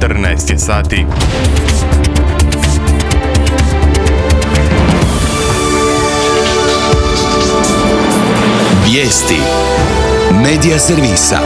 14 je sati. Vijesti Medija servisa.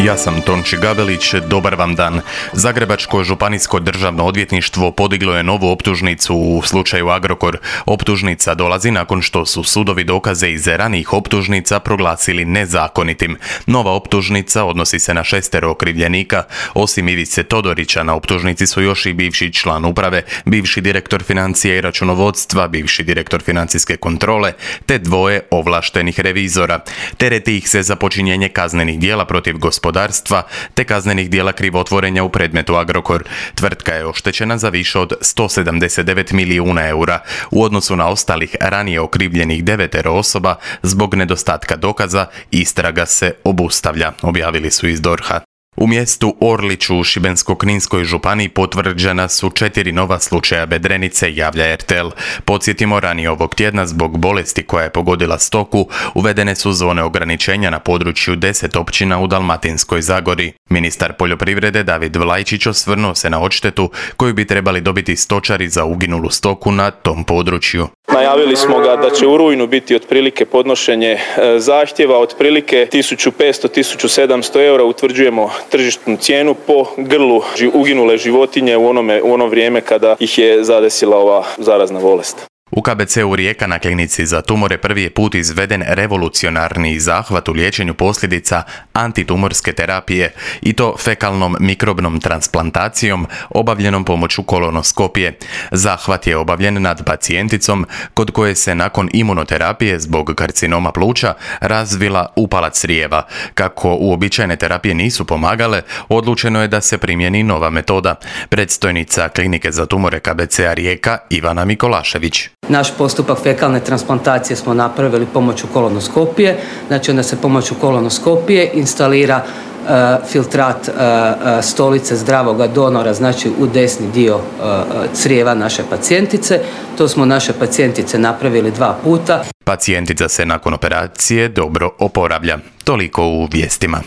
Ja sam Tonči Gabelić, dobar vam dan. Zagrebačko županijsko državno odvjetništvo podiglo je novu optužnicu u slučaju Agrokor. Optužnica dolazi nakon što su sudovi dokaze iz ranijih optužnica proglasili nezakonitim. Nova optužnica odnosi se na 6 okrivljenika. Osim Ivice Todorića na optužnici su još i bivši član uprave, bivši direktor financije i računovodstva, bivši direktor financijske kontrole, te 2 ovlaštenih revizora. Tereti ih se za počinjenje kaznenih djela protiv gospodarstva te kaznenih djela krivotvorenja u predmetu Agrokor. Tvrtka je oštećena za više od 179 milijuna eura. U odnosu na ostalih ranije okrivljenih 9 osoba zbog nedostatka dokaza istraga se obustavlja, objavili su iz DORH-a. U mjestu Orliću u Šibensko-kninskoj županiji potvrđena su 4 nova slučaja bedrenice, javlja RTL. Podsjetimo, ranije ovog tjedna zbog bolesti koja je pogodila stoku uvedene su zone ograničenja na području 10 općina u Dalmatinskoj Zagori. Ministar poljoprivrede David Vlajčić osvrnuo se na odštetu koju bi trebali dobiti stočari za uginulu stoku na tom području. Najavili smo ga da će u rujnu biti otprilike podnošenje zahtjeva, otprilike 1500-1700 eura utvrđujemo tržišnu cijenu po grlu uginule životinje u ono vrijeme kada ih je zadesila ova zarazna bolest. U KBC-u Rijeka na klinici za tumore prvi je put izveden revolucionarni zahvat u liječenju posljedica antitumorske terapije i to fekalnom mikrobnom transplantacijom obavljenom pomoću kolonoskopije. Zahvat je obavljen nad pacijenticom kod koje se nakon imunoterapije zbog karcinoma pluća razvila upalac crijeva. Kako uobičajene terapije nisu pomagale, odlučeno je da se primjeni nova metoda. Predstojnica klinike za tumore KBC-a Rijeka Ivana Mikolašević. Naš postupak fekalne transplantacije smo napravili pomoću kolonoskopije, znači onda se pomoću kolonoskopije instalira filtrat stolice zdravoga donora, znači u desni dio crijeva naše pacijentice. To smo naše pacijentice napravili 2 puta. Pacijentica se nakon operacije dobro oporavlja. Toliko u vijestima.